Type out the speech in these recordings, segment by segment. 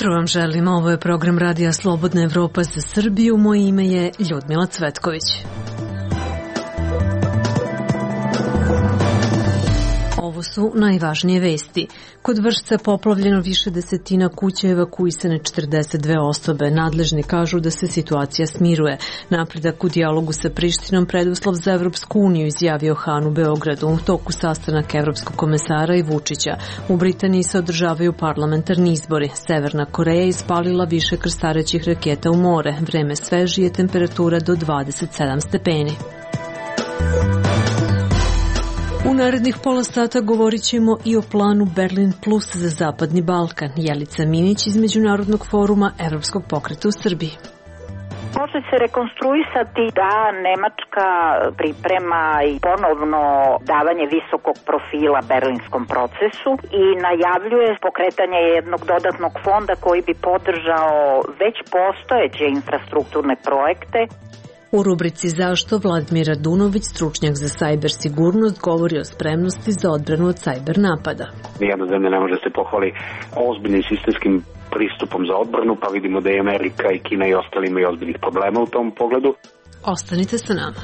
jutro vam želim, ovo je program Radija Slobodna Evropa za Srbiju, moje ime je Ljudmila Cvetković. Ovo su najvažnije vesti. Kod Vršca poplavljeno više desetina kuća, evakuisane 42 osobe. Nadležni kažu da se situacija smiruje. Napredak u dijalogu sa Prištinom preduslov za Evropsku uniju, izjavio Han u Beogradu u toku sastanak Evropskog komesara i Vučića. U Britaniji se održavaju parlamentarni izbori. Severna Koreja ispalila više krstarećih raketa u more. Vreme svežije, temperatura do 27 stepeni. U narednih pola sata govorit ćemo i o planu Berlin Plus za Zapadni Balkan. Jelica Minić iz Međunarodnog foruma Evropskog pokreta u Srbiji. Može se rekonstruisati da Nemačka priprema i ponovno davanje visokog profila berlinskom procesu i najavljuje pokretanje jednog dodatnog fonda koji bi podržao već postojeće infrastrukturne projekte. U rubrici Zašto Vladimir Radunović, stručnjak za sajber sigurnost, govori o spremnosti za odbranu od sajber napada. Nijedna zemlja ne može se pohvali ozbiljnim sistemskim pristupom za odbranu, pa vidimo da i Amerika i Kina i ostali imaju ozbiljnih problema u tom pogledu. Ostanite sa nama.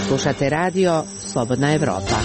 Slušate radio Slobodna Evropa.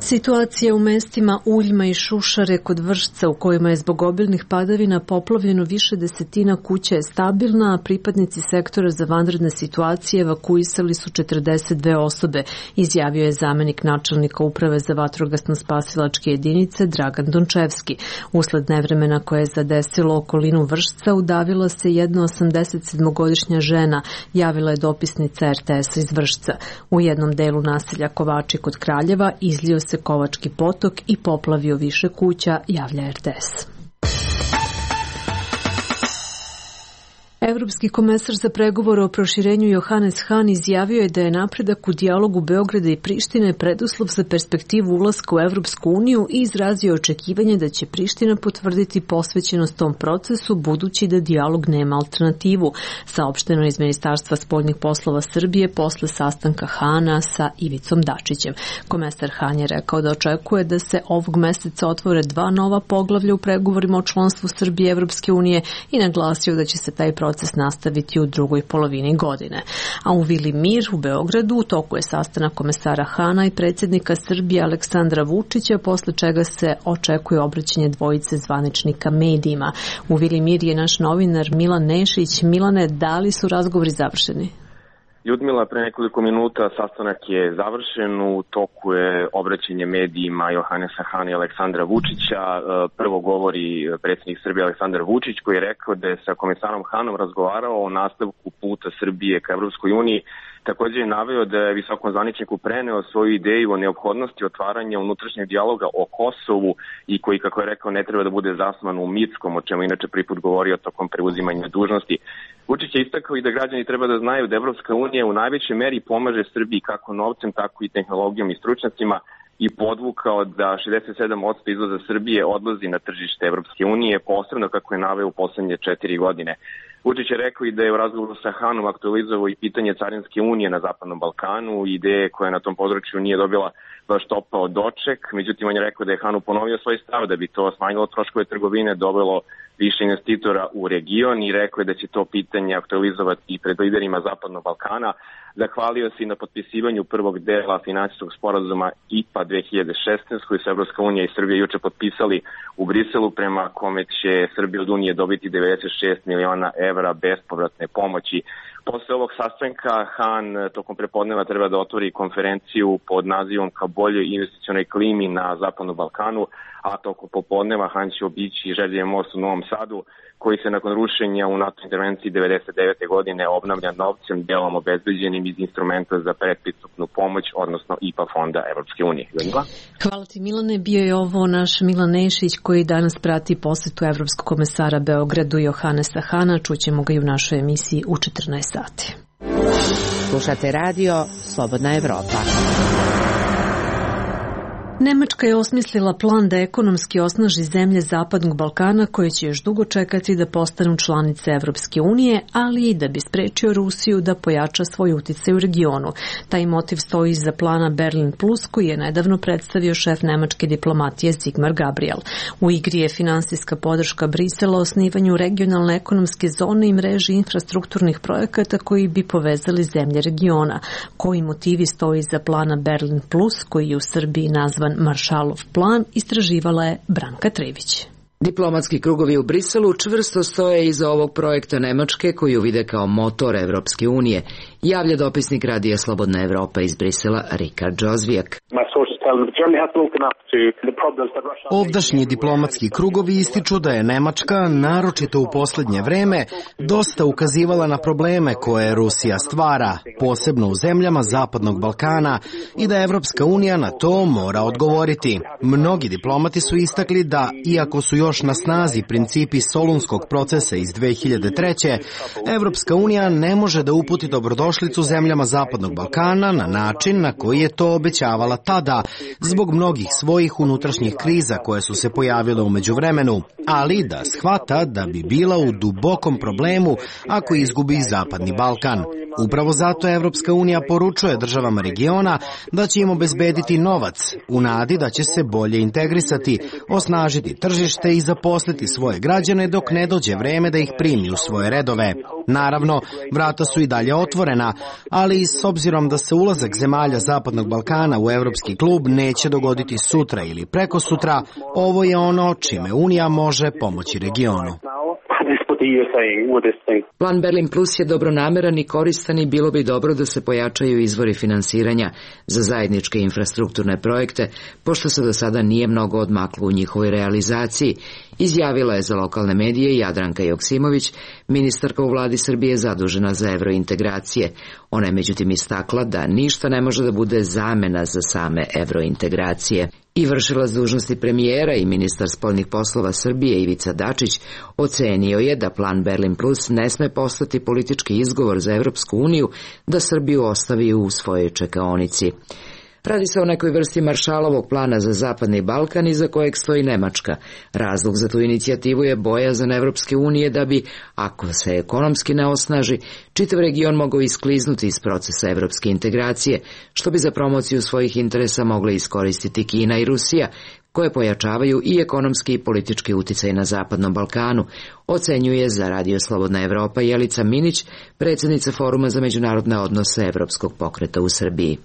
Situacija u mestima Uljma i Šušare kod Vršca, u kojima je zbog obilnih padavina poplavljeno više desetina kuća, je stabilna, a pripadnici sektora za vanredne situacije evakuisali su 42 osobe, izjavio je zamenik načelnika Uprave za vatrogasno-spasilačke jedinice Dragan Dončevski. Usled nevremena koje je zadesilo okolinu Vršca, udavila se jedna 87-godišnja žena, javila je dopisnica RTS iz Vršca. U jednom delu naselja Kovači kod Kraljeva izlio se Kovački potok i poplavio više kuća, javlja RTS. Evropski komesar za pregovore o proširenju Johannes Hahn izjavio je da je napredak u dijalogu Beograda i Prištine preduslov za perspektivu ulaska u Evropsku uniju i izrazio očekivanje da će Priština potvrditi posvećenost tom procesu, budući da dijalog nema alternativu, saopšteno iz Ministarstva spoljnih poslova Srbije posle sastanka Hana sa Ivicom Dačićem. Komesar Hahn je rekao da očekuje da se ovog meseca otvore 2 nova poglavlja u pregovorima o članstvu Srbije i Evropske unije i naglasio da će se taj proces nastaviti u drugoj polovini godine. A u Vili Mir u Beogradu u toku je sastanak komesara Hana i predsjednika Srbije Aleksandra Vučića, posle čega se očekuje obraćanje dvojice zvaničnika medijima. U Vili Mir je naš novinar Milan Nešić. Milane, da li su razgovori završeni? Ljudmila, pre nekoliko minuta sastanak je završen, u toku je obraćanje medijima Johannesa Hana i Aleksandra Vučića. Prvo govori predsjednik Srbije Aleksandar Vučić, koji je rekao da je sa komisarom Hanom razgovarao o nastavku puta Srbije ka Evropskoj uniji. Također je naveo da je visokom zvaničniku preneo svoju ideju o neophodnosti otvaranja unutrašnjeg dijaloga o Kosovu i koji, kako je rekao, ne treba da bude zasnovan u Mitskom, o čemu inače prvi put govorio tokom preuzimanja dužnosti. Vučić je istakao i da građani treba da znaju da Evropska unija u najvećoj meri pomaže Srbiji kako novcem, tako i tehnologijom i stručnjacima i podvukao da 67% izvoza Srbije odlazi na tržište Evropske unije, posebno kako je naveo u poslednje 4 godine. Vučić je rekao i da je u razgovoru sa Hanom aktualizovao i pitanje Carinske unije na Zapadnom Balkanu, ideje koja na tom području nije dobila baš topao doček. Međutim, on je rekao da je Hanu ponovio svoj stav da bi to smanjilo troškove trgovine, dovelo više investitora u region i rekao je da će to pitanje aktualizovati i pred liderima Zapadnog Balkana. Zahvalio se i na potpisivanju prvog dela finansijskog sporazuma IPA 2016 koji su Evropska unija i Srbija juče potpisali u Briselu, prema kome će Srbija od Unije dobiti 96 miliona evra bespovratne pomoći. Posle ovog sastanka Han tokom prepodneva treba da otvori konferenciju pod nazivom Ka boljoj investicionoj klimi na Zapadnom Balkanu, a tokom popodneva Han će obići Željev most u Novom Sadu, koji se nakon rušenja u NATO intervenciji 1999. godine obnavlja novcem delom obezbeđenim iz instrumenta za predpristupnu pomoć, odnosno IPA fonda Evropske unije. Hvala ti, Milane. Bio je ovo naš Milan Nešić koji danas prati posetu Evropskog komesara Beogradu Johannesa Hana. Čućemo ga i u našoj emisiji u 14 sati. Slušate radio Slobodna Evropa. Nemačka je osmislila plan da ekonomski osnaži zemlje Zapadnog Balkana koje će još dugo čekati da postanu članice Evropske unije, ali i da bi sprečio Rusiju da pojača svoj uticaj u regionu. Taj motiv stoji iza plana Berlin Plus koji je nedavno predstavio šef nemačke diplomatije Sigmar Gabriel. U igri je finansijska podrška Brisela osnivanju regionalne ekonomske zone i mreži infrastrukturnih projekata koji bi povezali zemlje regiona. Koji motivi stoji iza plana Berlin Plus koji je u Srbiji nazvan Maršalov plan, istraživala je Branka Trević. Diplomatski krugovi u Briselu čvrsto stoje iza ovog projekta Nemačke koju vide kao motor Evropske unije, javlja dopisnik Radija Slobodna Evropa iz Brisela Rikard Džozvijak. Ovdašnji diplomatski krugovi ističu da je Nemačka, naročito u posljednje vreme, dosta ukazivala na probleme koje Rusija stvara, posebno u zemljama Zapadnog Balkana, i da Evropska unija na to mora odgovoriti. Mnogi diplomati su istakli da, iako su još na snazi principi Solunskog procesa iz 2003. Evropska unija ne može da uputi dobrodošlicu zemljama Zapadnog Balkana na način na koji je to obećavala tada, zbog mnogih svojih unutrašnjih kriza koje su se pojavile u međuvremenu, ali da shvata da bi bila u dubokom problemu ako izgubi Zapadni Balkan. Upravo zato Evropska unija poručuje državama regiona da će im obezbediti novac, u nadi da će se bolje integrisati, osnažiti tržište i zaposliti svoje građane dok ne dođe vreme da ih primi u svoje redove. Naravno, vrata su i dalje otvorena, ali s obzirom da se ulazak zemalja Zapadnog Balkana u Evropski klub neće dogoditi sutra ili prekosutra, ovo je ono čime Unija može pomoći regionu. Plan Berlin Plus je dobronameran i koristan i bilo bi dobro da se pojačaju izvori finansiranja za zajedničke infrastrukturne projekte, pošto se do sada nije mnogo odmaklo u njihovoj realizaciji, izjavila je za lokalne medije Jadranka Joksimović, ministarka u vladi Srbije zadužena za evrointegracije. Ona je međutim istakla da ništa ne može da bude zamena za same evrointegracije. I vršilac dužnosti premijera i ministar spoljnih poslova Srbije Ivica Dačić ocenio je da plan Berlin Plus ne sme postati politički izgovor za Evropsku uniju da Srbiju ostavi u svojoj čekaonici. Radi se o nekoj vrsti Maršalovog plana za Zapadni Balkan iza kojeg stoji Nemačka. Razlog za tu inicijativu je bojazan Evropske unije da bi, ako se ekonomski ne osnaži, čitav region mogao iskliznuti iz procesa evropske integracije, što bi za promociju svojih interesa mogle iskoristiti Kina i Rusija, koje pojačavaju i ekonomski i politički uticaj na Zapadnom Balkanu, ocenjuje za Radio Slobodna Evropa Jelica Minić, predsjednica Foruma za međunarodne odnose Evropskog pokreta u Srbiji.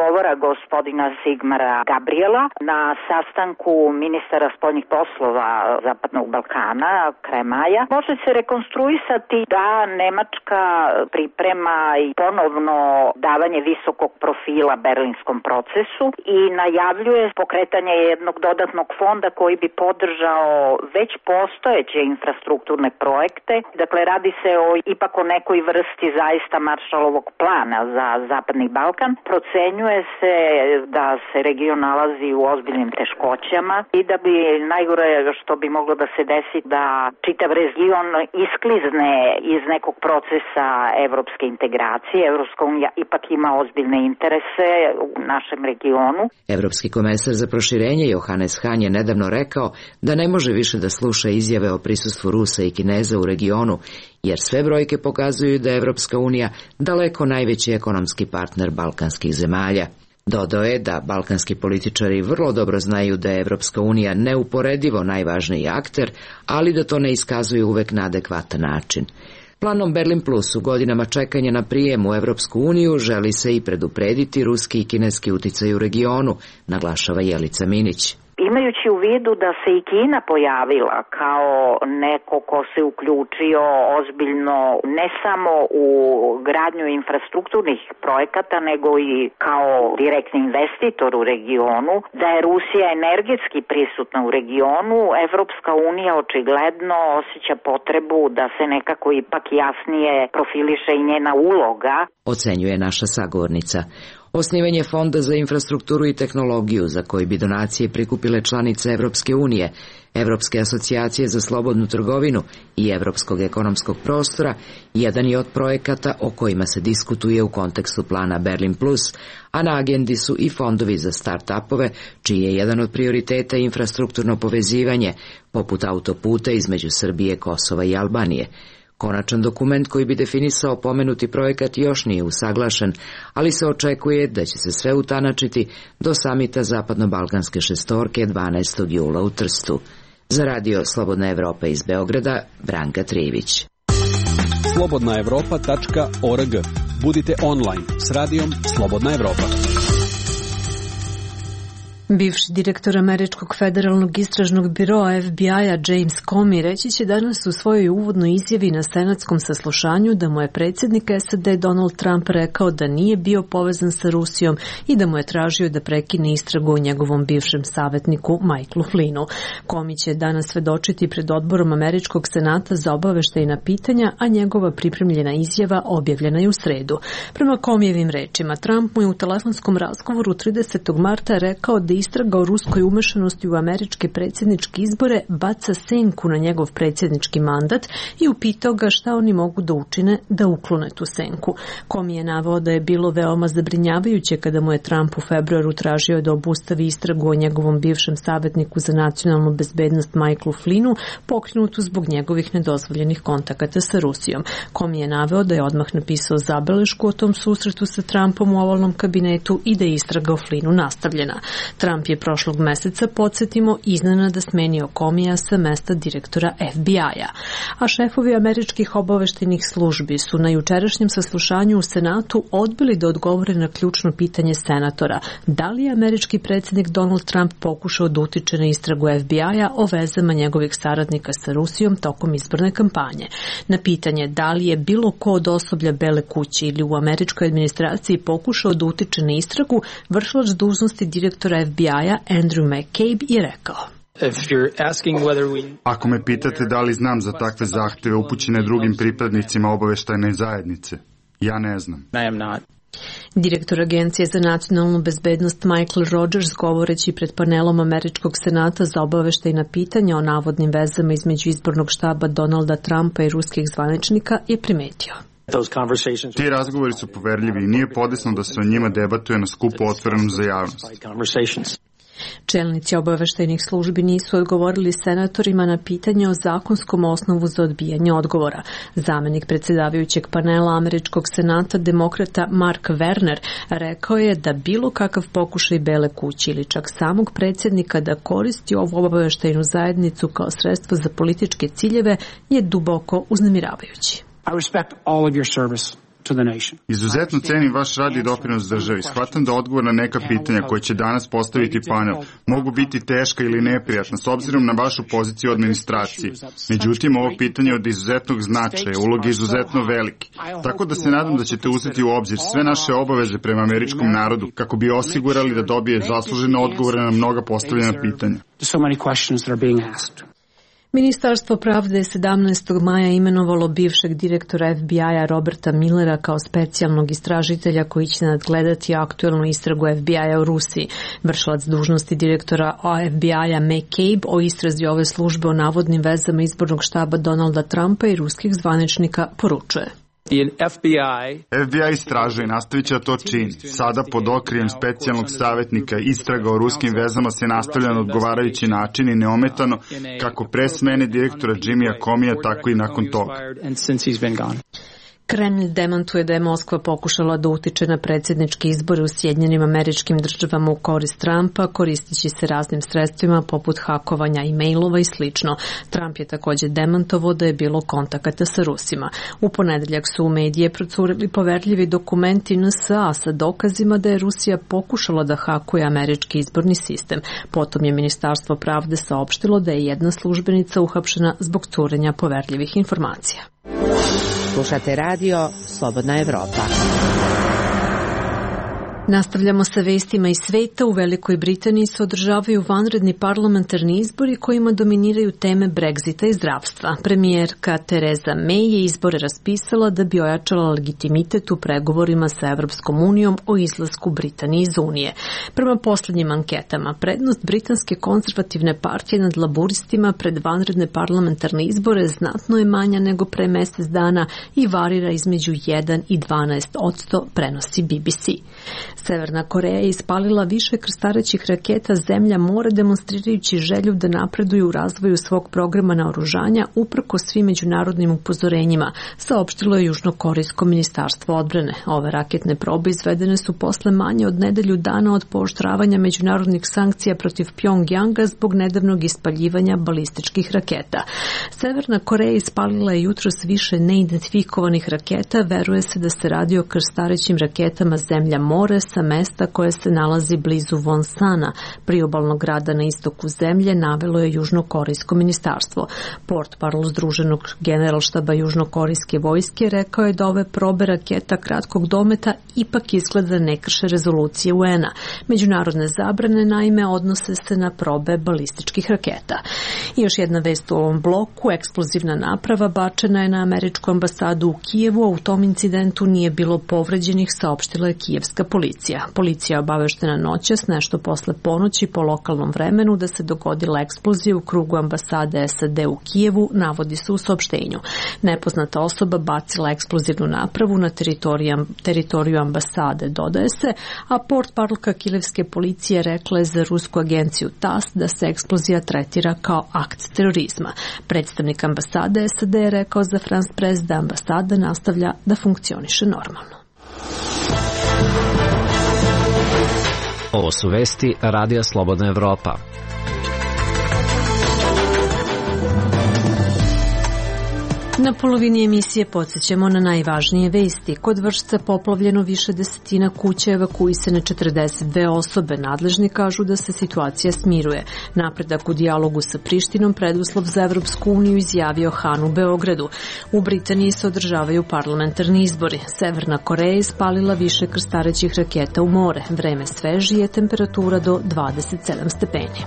Govora gospodina Sigmara Gabriela na sastanku ministara spoljnih poslova Zapadnog Balkana krajem maja može se rekonstruisati da Nemačka priprema i ponovno davanje visokog profila berlinskom procesu i najavljuje pokretanje jednog dodatnog fonda koji bi podržao već postojeće infrastrukturne projekte. Dakle, radi se ipak o nekoj vrsti zaista Maršalovog plana za Zapadni Balkan. Procenjuje se da se region nalazi u ozbiljnim teškoćama i da bi najgore što bi moglo da se desi da čitav region isklizne iz nekog procesa evropske integracije. Evropska unija ipak ima ozbiljne interese u našem regionu. Evropski komesar za proširenje Johannes Hahn je nedavno rekao da ne može više da sluša izjave o prisustvu Rusa i Kineza u regionu, jer sve brojke pokazuju da je Evropska unija daleko najveći ekonomski partner balkanskih zemalja. Dodao je da balkanski političari vrlo dobro znaju da je Evropska unija neuporedivo najvažniji akter, ali da to ne iskazuju uvek na adekvatan način. Planom Berlin Plus u godinama čekanja na prijem u Evropsku uniju želi se i preduprediti ruski i kineski uticaj u regionu, naglašava Jelica Minić. Imajući u vidu da se i Kina pojavila kao neko ko se uključio ozbiljno ne samo u gradnju infrastrukturnih projekata, nego i kao direktni investitor u regionu, da je Rusija energetski prisutna u regionu, Evropska unija očigledno osjeća potrebu da se nekako ipak jasnije profiliše i njena uloga. Ocenjuje naša sagovornica. Osnivanje Fonda za infrastrukturu i tehnologiju, za koji bi donacije prikupile članice Evropske unije, Evropske asocijacije za slobodnu trgovinu i Evropskog ekonomskog prostora, jedan je od projekata o kojima se diskutuje u kontekstu plana Berlin Plus, a na agendi su i fondovi za start-upove, čiji je jedan od prioriteta infrastrukturno povezivanje, poput autoputa između Srbije, Kosova i Albanije. Konačan dokument koji bi definisao pomenuti projekat još nije usaglašen, ali se očekuje da će se sve utanačiti do samita Zapadno-Balkanske šestorke 12. jula u Trstu. Za radio Slobodna Evropa iz Beograda, Branka Trivić. slobodnaevropa.org. Budite online s radijom Slobodna Evropa. Bivši direktor Američkog federalnog istražnog biroa FBI-a James Comey reći će danas u svojoj uvodnoj izjavi na senatskom saslušanju da mu je predsjednik SAD Donald Trump rekao da nije bio povezan sa Rusijom i da mu je tražio da prekine istragu o njegovom bivšem savjetniku Michaelu Flynnu. Comey će danas svedočiti pred odborom Američkog senata za obaveštajna pitanja, a njegova pripremljena izjava objavljena je u sredu. Prema Comeyjevim rečima, Trump mu je u telefonskom razgovoru 30. marta rekao da istraga o ruskoj umešanosti u američke predsjedničke izbore baca senku na njegov predsjednički mandat i upitao ga šta oni mogu da učine da uklone tu senku. Comey je naveo da je bilo veoma zabrinjavajuće kada mu je Trump u februaru tražio da obustavi istragu o njegovom bivšem savjetniku za nacionalnu bezbednost Michaelu Flynnu, pokrenutu zbog njegovih nedozvoljenih kontakata sa Rusijom. Comey je naveo da je odmah napisao zabelešku o tom susretu sa Trumpom u ovalnom kabinetu i da je istraga o Flynnu nastavljena. Trump je prošlog meseca, podsjetimo, iznenada smenio Comeyja sa mesta direktora FBI-a. A šefovi američkih obaveštajnih službi su na jučerašnjem saslušanju u Senatu odbili da odgovore na ključno pitanje senatora: da li je američki predsjednik Donald Trump pokušao da utiče na istragu FBI-a o vezama njegovih saradnika sa Rusijom tokom izborne kampanje. Na pitanje da li je bilo ko od osoblja Bele kuće ili u američkoj administraciji pokušao da utiče na istragu, vršilac dužnosti direktora FBI-a Andrew McCabe je rekao: Ako me pitate da li znam za takve zahtjeve upućene drugim pripadnicima obaveštajne zajednice, ja ne znam. Direktor Agencije za nacionalnu bezbednost Michael Rogers, govoreći pred panelom Američkog senata za obaveštajna pitanja o navodnim vezama između izbornog štaba Donalda Trumpa i ruskih zvaničnika, je primetio: Ti razgovori su poverljivi i nije podesno da se o njima debatuje na skupu otvorenom za javnost. Čelnici obaveštajnih službi nisu odgovorili senatorima na pitanje o zakonskom osnovu za odbijanje odgovora. Zamenik predsjedavajućeg panela Američkog senata, demokrata Mark Werner, rekao je da bilo kakav pokušaj Bele kuće ili čak samog predsjednika da koristi ovu obaveštajnu zajednicu kao sredstvo za političke ciljeve je duboko uznemiravajući. Izuzetno cenim vaš rad i doprinos državi. Shvatam da odgovor na neka pitanja koje će danas postaviti panel mogu biti teška ili neprijatna s obzirom na vašu poziciju u administraciji. Međutim, ovo pitanje je od izuzetnog značaja, uloga je izuzetno veliki. Tako da se nadam da ćete uzeti u obzir sve naše obaveze prema američkom narodu kako bi osigurali da dobije zaslužene odgovore na mnoga postavljena pitanja. Ministarstvo pravde je 17. maja imenovalo bivšeg direktora FBI-a Roberta Millera kao specijalnog istražitelja koji će nadgledati aktuelnu istragu FBI-a u Rusiji. Vršilac dužnosti direktora FBI-a McCabe o istrazi ove službe o navodnim vezama izbornog štaba Donalda Trumpa i ruskih zvaničnika poručuje: FBI istražuje i nastavit će da to čini. Sada pod okriljem specijalnog savjetnika istraga o ruskim vezama se nastavlja na odgovarajući način i neometano kako pre smene direktora Jimmya Comeyja, tako i nakon toga. Kremlj demantuje da je Moskva pokušala da utiče na predsjedničke izbore u Sjedinjenim Američkim Državama u korist Trumpa, koristeći se raznim sredstvima poput hakovanja e-mailova i slično. Trump je također demantovao da je bilo kontakata sa Rusima. U ponedeljak su u medije procurili poverljivi dokumenti NSA sa dokazima da je Rusija pokušala da hakuje američki izborni sistem. Potom je Ministarstvo pravde saopštilo da je jedna službenica uhapšena zbog curenja poverljivih informacija. Slušate radio Slobodna Evropa. Nastavljamo sa vestima iz sveta. U Velikoj Britaniji se održavaju vanredni parlamentarni izbori kojima dominiraju teme Brexita i zdravstva. Premijerka Theresa May je izbore raspisala da bi ojačala legitimitet u pregovorima sa Evropskom unijom o izlasku Britanije iz Unije. Prema poslednjim anketama, prednost britanske konzervativne partije nad laburistima pred vanredne parlamentarne izbore znatno je manja nego pre mesec dana i varira između 1 i 12%, prenosi BBC. Severna Koreja je ispalila više krstarećih raketa zemlja more, demonstrirajući želju da napreduju u razvoju svog programa naoružanja uprkos svim međunarodnim upozorenjima, saopštilo je Južnokorejsko ministarstvo odbrane. Ove raketne probe izvedene su posle manje od nedelju dana od pooštravanja međunarodnih sankcija protiv Pjongjanga zbog nedavnog ispaljivanja balističkih raketa. Severna Koreja ispalila je jutros više neidentifikovanih raketa, veruje se da se radi o krstarećim raketama zemlja more sa mesta koje se nalazi blizu Wonsana, priobalnog grada na istoku zemlje, navelo je Južnokorejsko ministarstvo. Portparol Združenog generalštaba Južnokorejske vojske rekao je da ove probe raketa kratkog dometa ipak izgleda ne krše rezolucije UN-a. Međunarodne zabrane naime odnose se na probe balističkih raketa. I još jedna vest u ovom bloku, eksplozivna naprava bačena je na američku ambasadu u Kijevu, a u tom incidentu nije bilo povređenih, saopštila je kijevska policija. Policija je obaveštena noćas, nešto posle ponoći po lokalnom vremenu, da se dogodila eksplozija u krugu ambasade SAD u Kijevu, navodi se u saopštenju. Nepoznata osoba bacila eksplozivnu napravu na teritoriju ambasade, dodaje se, a portparolka kijevske policije rekla je za rusku agenciju TASS da se eksplozija tretira kao akt terorizma. Predstavnik ambasade SAD je rekao za France Press da ambasada nastavlja da funkcioniše normalno. Ovo su vesti Radija Slobodna Evropa. Na polovini emisije podsjećamo na najvažnije vesti. Kod Vršca poplavljeno više desetina kuća, evakuisane 42 osobe. Nadležni kažu da se situacija smiruje. Napredak u dijalogu sa Prištinom preduslov za Evropsku uniju, izjavio Han u Beogradu. U Britaniji se održavaju parlamentarni izbori. Severna Koreja je ispalila više krstarećih raketa u more. Vreme svežije, temperatura do 27 stepeni.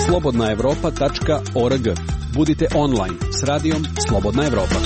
slobodnaevropa.org. Budite online s radijom Slobodna Evropa.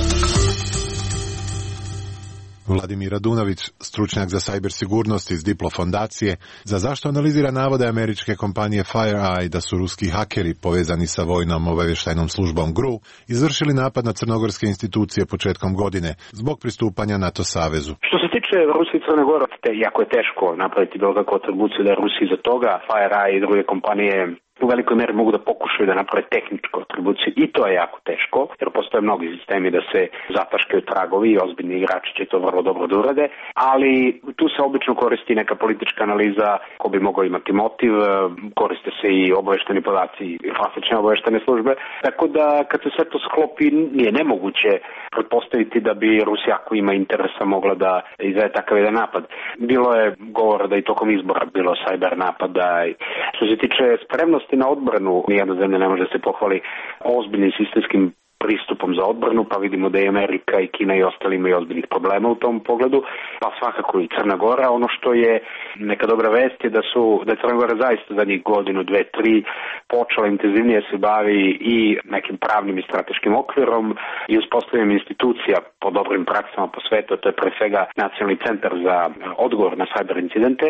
Vladimir Radunović, stručnjak za sajber sigurnost iz Diplo fondacije, za zašto analizira navode američke kompanije FireEye da su ruski hakeri povezani sa vojnom obavještajnom službom GRU izvršili napad na crnogorske institucije početkom godine zbog pristupanja NATO savezu. Što se tiče Rusije i Crne Gore, jako je teško napraviti bilo kakvu atribuciju da je Rusija iza toga. FireEye i druge kompanije u velikoj meri mogu da pokušaju da naprave tehničku atribuciju i to je jako teško, jer postoje mnogi sistemi da se zataškaju tragovi i ozbiljni igrači će to vrlo dobro da urade, ali tu se obično koristi neka politička analiza ko bi mogao imati motiv, koriste se i obavešteni podaci i klasične obaveštene službe, tako da kad se sve to sklopi nije nemoguće pretpostaviti da bi Rusija ako ima interesa mogla da izvede takav jedan napad. Bilo je govora da i tokom izbora bilo sajber napada. Što se tiče spremnosti na odbranu, nijedna zemlja ne može da se pohvali ozbiljnim sistemskim pristupom za odbranu, pa vidimo da i Amerika i Kina i ostali imaju ozbiljnih problema u tom pogledu, pa svakako i Crna Gora. Ono što je neka dobra vest je da je Crna Gora zaista zadnjih godinu, 2-3 počela intenzivnije se bavi i nekim pravnim i strateškim okvirom i uspostavljanjem institucija po dobrim praksama po svetu, to je pre svega Nacionalni centar za odgovor na sajber incidente.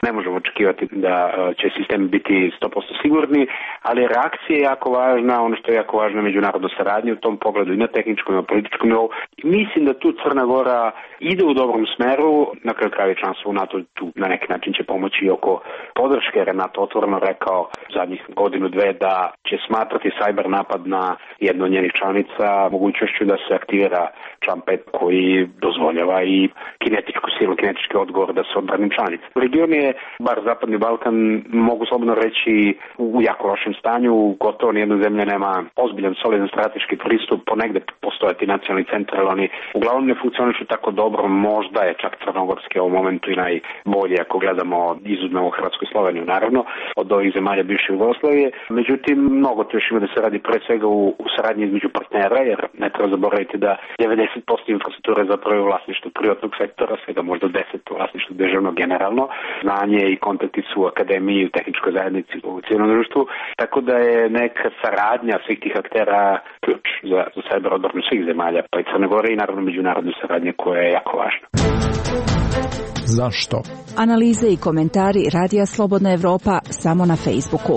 Ne možemo očekivati da će sistemi biti 100% sigurni, ali reakcija je jako važna, ono što je jako važno je međunarodna saradnja u tom pogledu i na tehničkom i na političkom nivou. Mislim da tu Crna Gora ide u dobrom smeru, na kraju krajeva članstvo u NATO tu na neki način će pomoći i oko podrške, jer je NATO otvoreno rekao zadnjih godinu, dve da će smatrati sajber napad na jednu od njenih članica mogućnošću da se aktivira član 5 koji dozvoljava i kinetičku silu, kinetički odgovor da se odbranim članica. Region je, bar Zapadni Balkan, mogu slobodno reći u jako lošem stanju, gotovo nijedna zemlja nema ozbiljan, solidan strateški pristup, ponegde postoje ti nacionalni centar, ali oni uglavnom ne funkcionišu tako dobro, možda je čak crnogorski u ovom momentu i najbolje ako gledamo, izuzmemo Hrvatsku i Sloveniju naravno, od ovih zemalja bivše Jugoslavije. Međutim, mnogo to još ima da se radi pre svega u saradnji između partnera, jer ne treba zaboraviti da 90% infrastrukture zapravo je u vlasništvu privatnog sektora, svega možda 10% u vlasništvu državnog generalno. Znanje i kontakti su u akademiji, u tehničkoj zajednici, u civilnom društvu, tako da je neka saradnja svih tih aktera ključ za cyber odbranu svih zemalja, pa i Crne Gore i naravno međunarodne saradnje koja je jako važna. Zašto? Analize i komentari Radija Slobodna Evropa samo na Facebooku.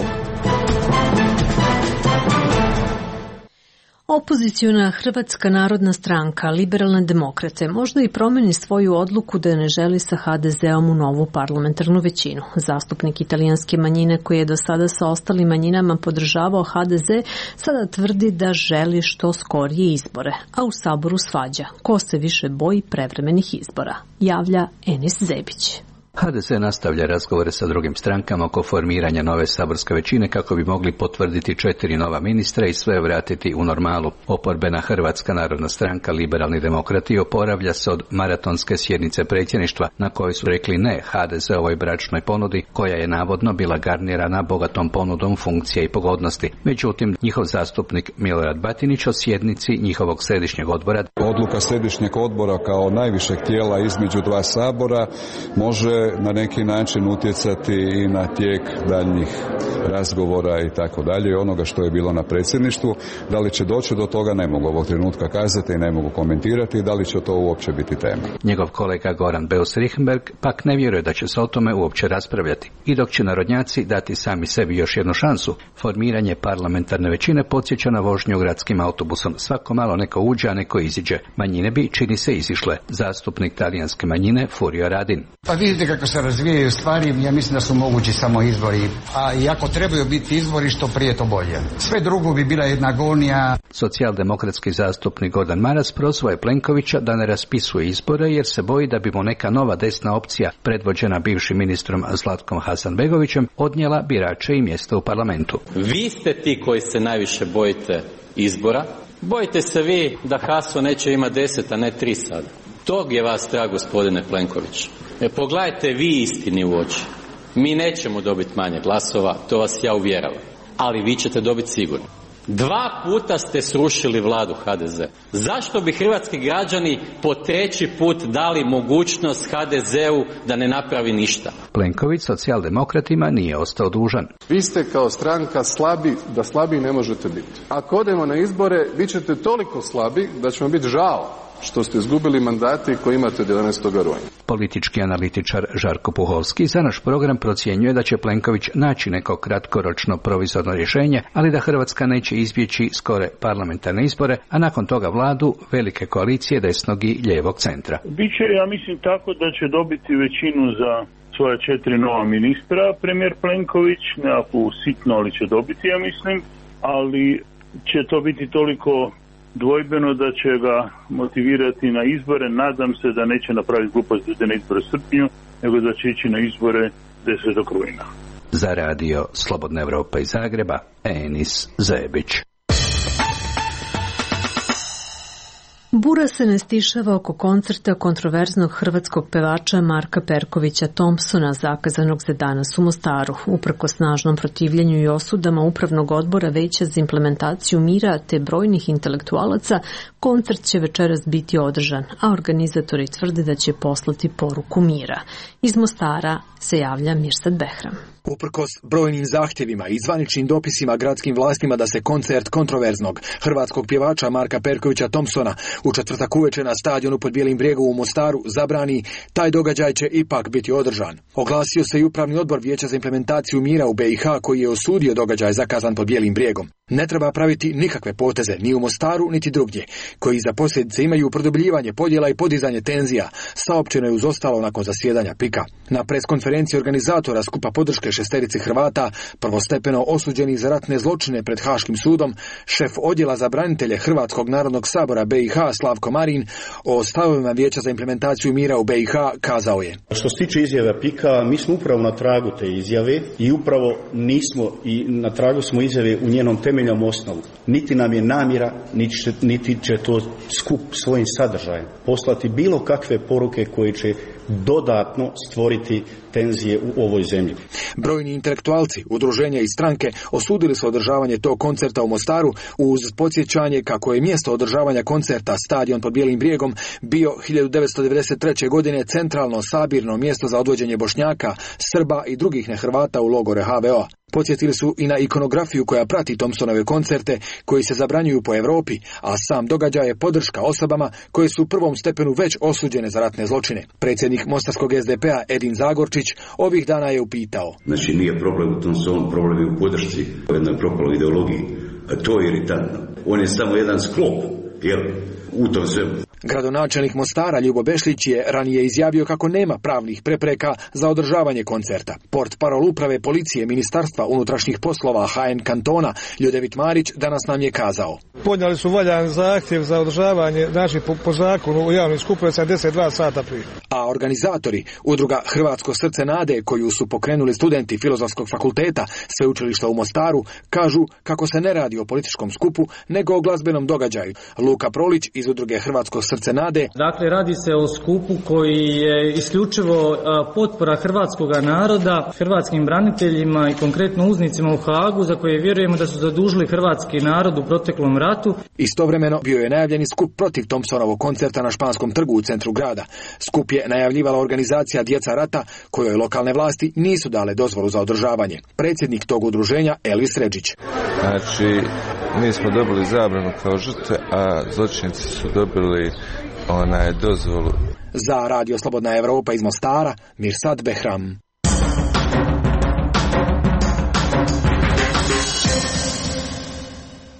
Opoziciona Hrvatska narodna stranka, Liberalne demokrate, možda i promeni svoju odluku da ne želi sa HDZ-om u novu parlamentarnu većinu. Zastupnik italijanske manjine koji je do sada sa ostalim manjinama podržavao HDZ, sada tvrdi da želi što skorije izbore, a u Saboru svađa. Ko se više boji prevremenih izbora? Javlja Enis Zebić. HDZ nastavlja razgovore sa drugim strankama oko formiranja nove saborske većine kako bi mogli potvrditi 4 nova ministra i sve vratiti u normalu. Oporbena Hrvatska narodna stranka, Liberalni demokrati, oporavlja se od maratonske sjednice predsjedništva na kojoj su rekli ne HDZ-ovoj bračnoj ponudi koja je navodno bila garnirana bogatom ponudom funkcija i pogodnosti. Međutim, njihov zastupnik Milorad Batinić o sjednici njihovog središnjeg odbora. Odluka središnjeg odbora kao najvišeg tijela između dva sabora može na neki način utjecati i na tijek daljnjih razgovora i tako dalje, onoga što je bilo na predsjedništvu. Da li će doći do toga ne mogu ovog trenutka kazati i ne mogu komentirati, da li će to uopće biti tema. Njegov kolega Goran Beus-Richembergh pak ne vjeruje da će se o tome uopće raspravljati. I dok će narodnjaci dati sami sebi još jednu šansu, formiranje parlamentarne većine podsjeća na vožnju gradskim autobusom. Svako malo neko uđe, a neko iziđe. Manjine bi, čini se, izišle. Zastupnik talijanske manjine Furio Radin. Pa vidite kako se razvijaju stvari, ja mislim da su mogući samo izbori, a i ako trebaju biti izbori, što prije to bolje. Sve drugo bi bila jedna agonija. Socijaldemokratski zastupnik Gordan Maras prozvao je Plenkovića da ne raspisuje izbore jer se boji da bi mu neka nova desna opcija, predvođena bivšim ministrom Zlatkom Hasanbegovićem, odnijela birače i mjesto u parlamentu. Vi ste ti koji se najviše bojite izbora. Bojite se vi da Haso neće imati 10, a ne 3 sada. Tog je vas strah, gospodine Plenković. Pogledajte vi istini u oči. Mi nećemo dobiti manje glasova, to vas ja uvjeravam. Ali vi ćete dobiti sigurno. 2 puta ste srušili vladu HDZ. Zašto bi hrvatski građani po 3. put dali mogućnost HDZ-u da ne napravi ništa? Plenković socijaldemokratima nije ostao dužan. Vi ste kao stranka slabi da slabiji ne možete biti. Ako odemo na izbore, vi ćete toliko slabi da će vam biti žao što ste izgubili mandate koje imate od 11. rujna. Politički analitičar Žarko Puhovski za naš program procjenjuje da će Plenković naći neko kratkoročno provizorno rješenje, ali da Hrvatska neće izbjeći skore parlamentarne izbore, a nakon toga vladu velike koalicije desnog i lijevog centra. Biće, ja mislim, tako da će dobiti većinu za svoja 4 nova ministra, premijer Plenković, nekakvu sitno, ali će dobiti, ja mislim, ali će to biti toliko dvojbeno da će ga motivirati na izbore. Nadam se da neće napraviti glupost na izbore u srpnju, nego da će ići na izbore 10. rujna. Za radio Slobodna Evropa iz Zagreba, Enis Zebić. Bura se ne stišava oko koncerta kontroverznog hrvatskog pevača Marka Perkovića Thompsona, zakazanog za danas u Mostaru. Uprkos snažnom protivljenju i osudama Upravnog odbora Veća za implementaciju mira te brojnih intelektualaca, koncert će večeras biti održan, a organizatori tvrde da će poslati poruku mira. Iz Mostara se javlja Mirsad Behram. Uprkos brojnim zahtjevima i zvaničnim dopisima gradskim vlastima da se koncert kontroverznog hrvatskog pjevača Marka Perkovića Thompsona u četvrtak uveče na stadionu pod Bijelim brijegom u Mostaru zabrani, taj događaj će ipak biti održan. Oglasio se i Upravni odbor Vijeća za implementaciju mira u BiH koji je osudio događaj zakazan pod Bijelim brijegom. Ne treba praviti nikakve poteze ni u Mostaru niti drugdje, koji za posljedice imaju produbljivanje podjela i podizanje tenzija, saopćeno je uz ostalo nakon zasjedanja PIK-a. Na preskonferenciji organizatora skupa podrške 6 Hrvata, prvostepeno osuđenih za ratne zločine pred Haškim sudom, šef odjela za branitelje Hrvatskog narodnog sabora BiH Slavko Marin o stavovima Vijeća za implementaciju mira u BiH kazao je: Što se tiče izjave PIK-a, mi smo upravo na tragu te izjave i upravo nismo i na tragu smo izjave u njenom temeljnom temeljnom osnovu. Niti nam je namjera, niti će to skup svojim sadržajem poslati bilo kakve poruke koje će dodatno stvoriti tenzije u ovoj zemlji. Brojni intelektualci, udruženja i stranke osudili su održavanje tog koncerta u Mostaru uz podsjećanje kako je mjesto održavanja koncerta stadion pod Bijelim brijegom bio 1993. godine centralno sabirno mjesto za odvođenje Bošnjaka, Srba i drugih nehrvata u logore HVO-a. Podsjetili su i na ikonografiju koja prati Thompsonove koncerte koji se zabranjuju po Europi, a sam događaj je podrška osobama koje su u prvom stepenu već osuđene za ratne zločine. Predsjednik mostarskog SDP-a Edin Zagorčić ovih dana je upitao. Znači nije problem u Thompsonu, problem je u podršci, u jednoj propaloj ideologiji. A to je iritantno. On je samo jedan sklop, jer u tom svemu. Gradonačelnik Mostara Ljubo Bešlić je ranije izjavio kako nema pravnih prepreka za održavanje koncerta. Portparol uprave policije Ministarstva unutrašnjih poslova HN kantona Ljudevit Marić danas nam je kazao. Podnijeli su valjan zahtjev za održavanje, znači po zakonu u javnim skupovima 72 sata prije. A organizatori, udruga Hrvatsko srce nade koju su pokrenuli studenti Filozofskog fakulteta Sveučilišta u Mostaru, kažu kako se ne radi o političkom skupu nego o glazbenom događaju. Luka Prolić iz udruge Hrvatsko srce nade. Dakle, radi se o skupu koji je isključivo potpora hrvatskog naroda, hrvatskim braniteljima i konkretno uznicima u Hagu za koje vjerujemo da su zadužili hrvatski narod u proteklom ratu. Istovremeno bio je najavljeni skup protiv Thompsonovog koncerta na Španskom trgu u centru grada. Skup je najavljivala organizacija Djeca rata kojoj lokalne vlasti nisu dale dozvolu za održavanje. Predsjednik tog udruženja Elvis Redžić. Znači, mi smo dobili zabranu kao žrtve, a zločinci su dobili dozvolu. Za Radio Slobodna Evropa iz Mostara, Mirsad Behram.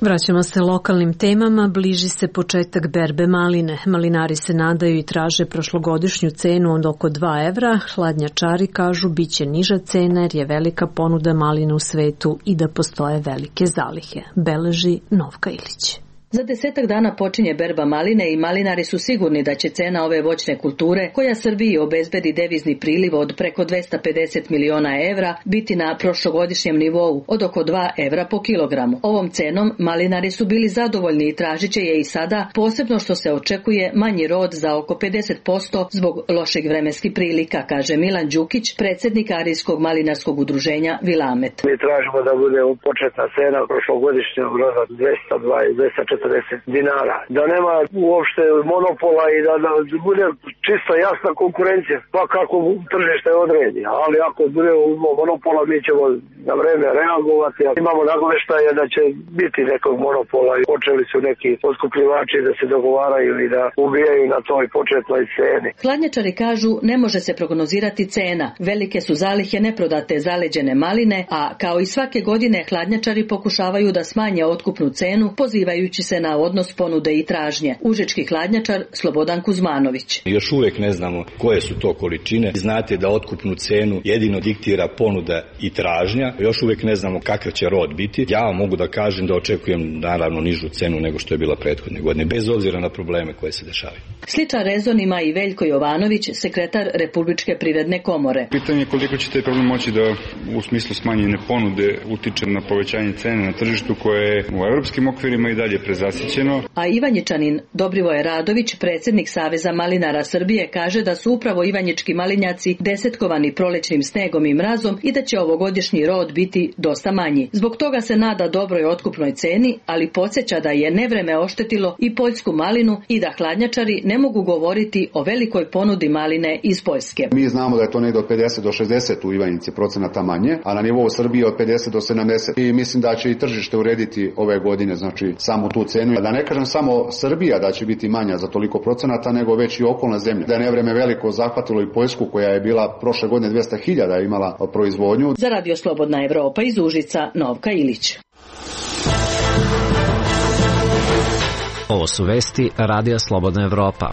Vraćamo se lokalnim temama, bliži se početak berbe maline. Malinari se nadaju i traže prošlogodišnju cenu od oko 2 evra. Hladnjačari kažu biće niža cena jer je velika ponuda maline u svetu i da postoje velike zalihe. Beleži Novka Ilić. Za 10 dana počinje berba maline i malinari su sigurni da će cena ove voćne kulture, koja Srbiji obezbedi devizni priliv od preko 250 miliona evra, biti na prošlogodišnjem nivou od oko 2 evra po kilogramu. Ovom cenom malinari su bili zadovoljni i tražit će je i sada, posebno što se očekuje manji rod za oko 50% zbog loših vremenskih prilika, kaže Milan Đukić, predsjednik Arijskog malinarskog udruženja Vilamet. Mi tražimo da bude početna cena prošlogodišnjeg roda 240 dinara. Da nema uopšte monopola i da bude čisto jasna konkurencija, pa kako tržište odredi. Ali ako bude monopola, mi ćemo na vreme reagovati. Imamo nagoveštaje da će biti nekog monopola i počeli su neki otkupljivači da se dogovaraju i da ubijaju na toj početnoj ceni. Hladnjačari kažu ne može se prognozirati cena. Velike su zalihe neprodate zaleđene maline, a kao i svake godine hladnjačari pokušavaju da smanje otkupnu cenu, pozivajući se na odnos ponude i tražnje. Užički hladnjačar Slobodan Kuzmanović. Još uvijek ne znamo koje su to količine. Znate da otkupnu cenu jedino diktira ponuda i tražnja. Još uvijek ne znamo kakav će rod biti. Ja vam mogu da kažem da očekujem naravno nižu cenu nego što je bila prethodne godine, bez obzira na probleme koje se dešavaju. Sličan rezon ima i Veljko Jovanović, sekretar Republičke privredne komore. Pitanje je koliko će taj problem moći da u smislu smanjene ponude utiče na povećanje cene na tržištu koje je u europskim okvirima i dalje prezasićeno. A Ivanjičanin Dobrivoje Radović, predsjednik Saveza malinara Srbije, kaže da su upravo ivanjički malinjaci desetkovani prolećnim snegom i mrazom i da će ovogodišnji rod biti dosta manji. Zbog toga se nada dobroj otkupnoj ceni, ali podsjeća da je nevreme oštetilo i poljsku malinu i da hladnjačari ne mogu govoriti o velikoj ponudi maline iz Poljske. Mi znamo da je to negdje od 50 do 60 u Ivanjici procenata manje, a na nivou Srbije od 50 do 70. I mislim da će i tržište urediti ove godine, znači samo tu cenu. Da ne kažem samo Srbija da će biti manja za toliko procenata, nego već i okolne zemlje. Da je nevreme veliko zahvatilo i Poljsku koja je bila prošle godine 200.000 imala proizvodnju. Za Radio Slobodna Evropa iz Užica, Novka Ilić. Ovo su vesti Radija Slobodna Evropa.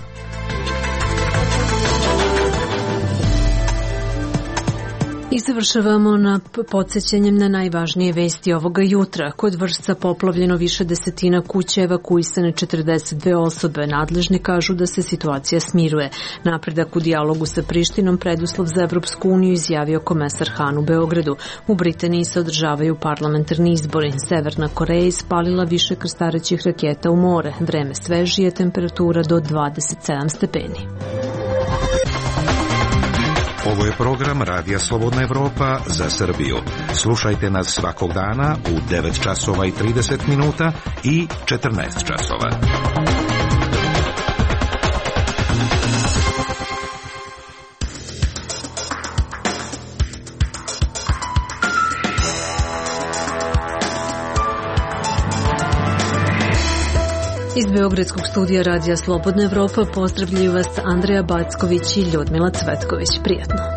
I završavamo na podsjećanjem na najvažnije vesti ovoga jutra. Kod Vršca poplavljeno više desetina kuća, evakuisane 42 osobe. Nadležni kažu da se situacija smiruje. Napredak u dijalogu sa Prištinom preduslov za Evropsku uniju, izjavio komesar Han u Beogradu. U Britaniji se održavaju parlamentarni izbori. Severna Koreja ispalila više krstarećih raketa u more. Vreme svežije, temperatura do 27 stepeni. Ovo je program Radija Slobodna Evropa za Srbiju. Slušajte nas svakog dana u 9 časova i 30 minuta i 14 časova. Iz Beogradskog studija Radija Slobodna Evropa pozdravljaju vas Andreja Backović i Ljudmila Cvetković. Prijatno.